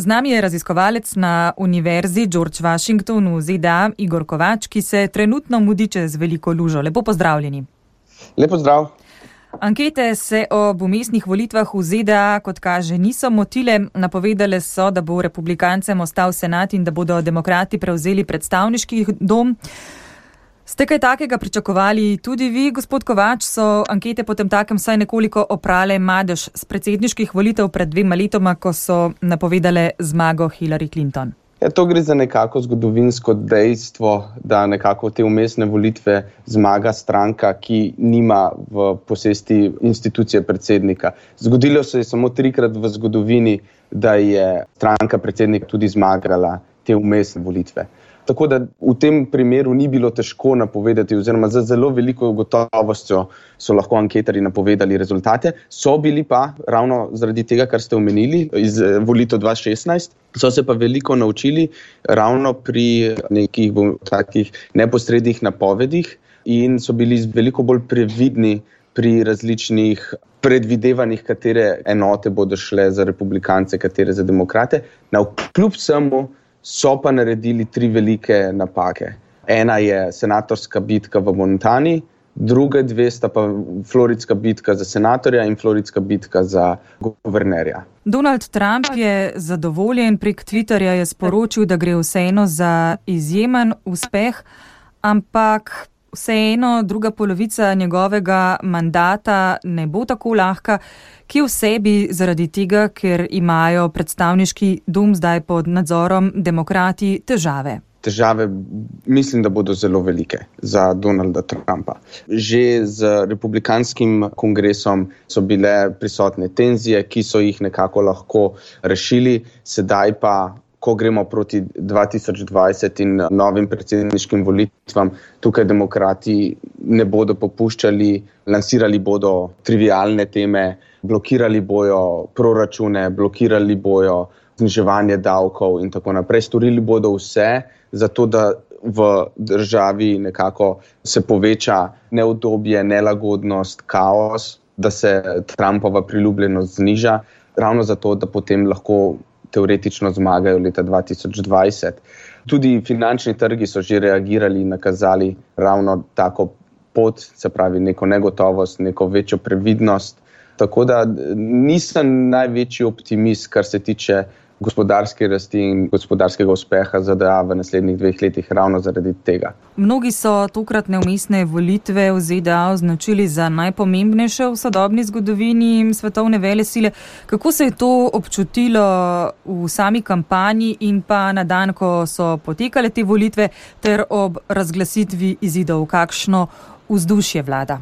Z nami je raziskovalec na Univerzi George Washington v ZDA Igor Kovač, ki se trenutno mudi čez veliko lužo. Lepo pozdravljeni. Lepo zdrav. Ankete se ob vmesnih volitvah v ZDA, kot kaže, niso motile. Napovedale so, da bo republikancem ostal senat in da bodo demokrati prevzeli predstavniški dom. Ste kaj takega pričakovali tudi vi, gospod Kovač? So ankete potem takem vsaj nekoliko oprale madež z predsedniških volitev pred 2 letoma, ko so napovedale zmago Hillary Clinton? To gre za nekako zgodovinsko dejstvo, da nekako te vmesne volitve zmaga stranka, ki nima v posesti institucije predsednika. Zgodilo se je samo 3-krat v zgodovini, da je stranka predsednik tudi zmagala te vmesne volitve. Tako da v tem primeru ni bilo težko napovedati, oziroma z zelo veliko gotovostjo so lahko anketarji napovedali rezultate. So bili pa, ravno zaradi tega, kar ste omenili, iz volitev 2016, so se pa veliko naučili ravno pri nekih takih neposrednih napovedih in so bili veliko bolj previdni pri različnih predvidevanjih, katere enote bodo šle za republikance, katere za demokrate. Navkljub vsemu so pa naredili 3 velike napake. Ena je senatorska bitka v Montani, druge 2 sta pa floridska bitka za senatorja in floridska bitka za guvernerja. Donald Trump je zadovoljen, prek Twitterja je sporočil, da gre vseeno za izjemen uspeh, ampak vseeno druga polovica njegovega mandata ne bo tako lahka, ki v sebi zaradi tega, ker imajo predstavniški dom zdaj pod nadzorom demokrati težave. Težave mislim, da bodo zelo velike za Donalda Trumpa. Že z republikanskim kongresom so bile prisotne tenzije, ki so jih nekako lahko rešili, sedaj pa, ko gremo proti 2020 in novim predsedniškim volitvam, tukaj demokrati ne bodo popuščali, lansirali bodo trivialne teme, blokirali bojo proračune, blokirali bojo zniževanje davkov in tako naprej. Storili bodo vse, zato da v državi nekako se poveča neudobje, nelagodnost, kaos, da se Trumpova priljubljenost zniža, ravno zato, da potem lahko teoretično zmagajo leta 2020. Tudi finančni trgi so že reagirali in nakazali ravno tako pot, se pravi neko negotovost, neko večjo previdnost. Tako da nisem največji optimist, kar se tiče gospodarske rasti in gospodarskega uspeha ZDA v naslednjih 2 letih ravno zaradi tega. Mnogi so tokratne vmesne volitve v ZDA označili za najpomembnejše v sodobni zgodovini svetovne velesile. Kako se je to občutilo v sami kampanji in pa na dan, ko so potekale te volitve, ter ob razglasitvi izidov? Kakšno vzdušje vlada?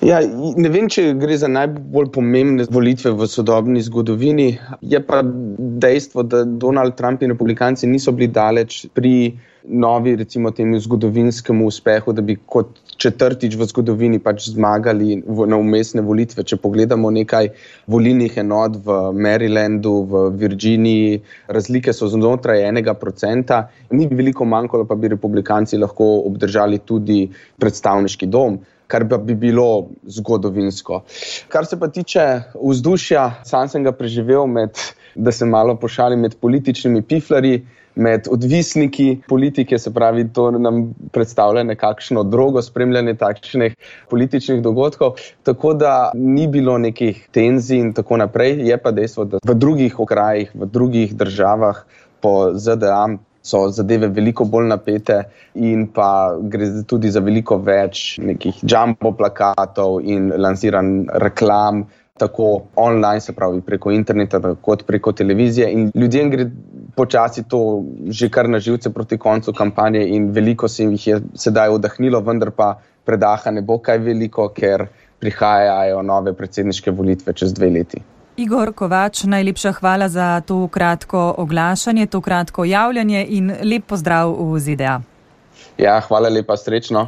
Ja, ne vem, če gre za najbolj pomembne volitve v sodobni zgodovini. Je pa dejstvo, da Donald Trump in republikanci niso bili daleč pri novi, recimo temu zgodovinskemu uspehu, da bi kot 4. v zgodovini pač zmagali na vmesne volitve. Če pogledamo nekaj volilnih enot v Marylandu, v Virginiji, razlike so znotraj 1%. Ni veliko manjkalo, pa bi republikanci lahko obdržali tudi predstavniški dom, kar bi bilo zgodovinsko. Kar se pa tiče vzdušja, sam sem ga preživel da se malo pošalim, med političnimi piflarji, med odvisniki politike, se pravi, to nam predstavlja nekakšno drogo spremljanje takšnih političnih dogodkov, tako da ni bilo nekih tenzij in tako naprej. Je pa dejstvo, da v drugih okrajih, v drugih državah po ZDA so zadeve veliko bolj napete in pa gre tudi za veliko več nekih jumbo plakatov in lansiran reklam, tako online, se pravi preko interneta, kot preko televizije, in ljudem gre počasi to že kar na živce proti koncu kampanje in veliko se jih je sedaj oddahnilo, vendar pa predaha ne bo kaj veliko, ker prihajajo nove predsedniške volitve čez 2 leti. Igor Kovač, najlepša hvala za to kratko oglašanje, to kratko javljanje in lep pozdrav v ZDA. Ja, hvala lepa, srečno.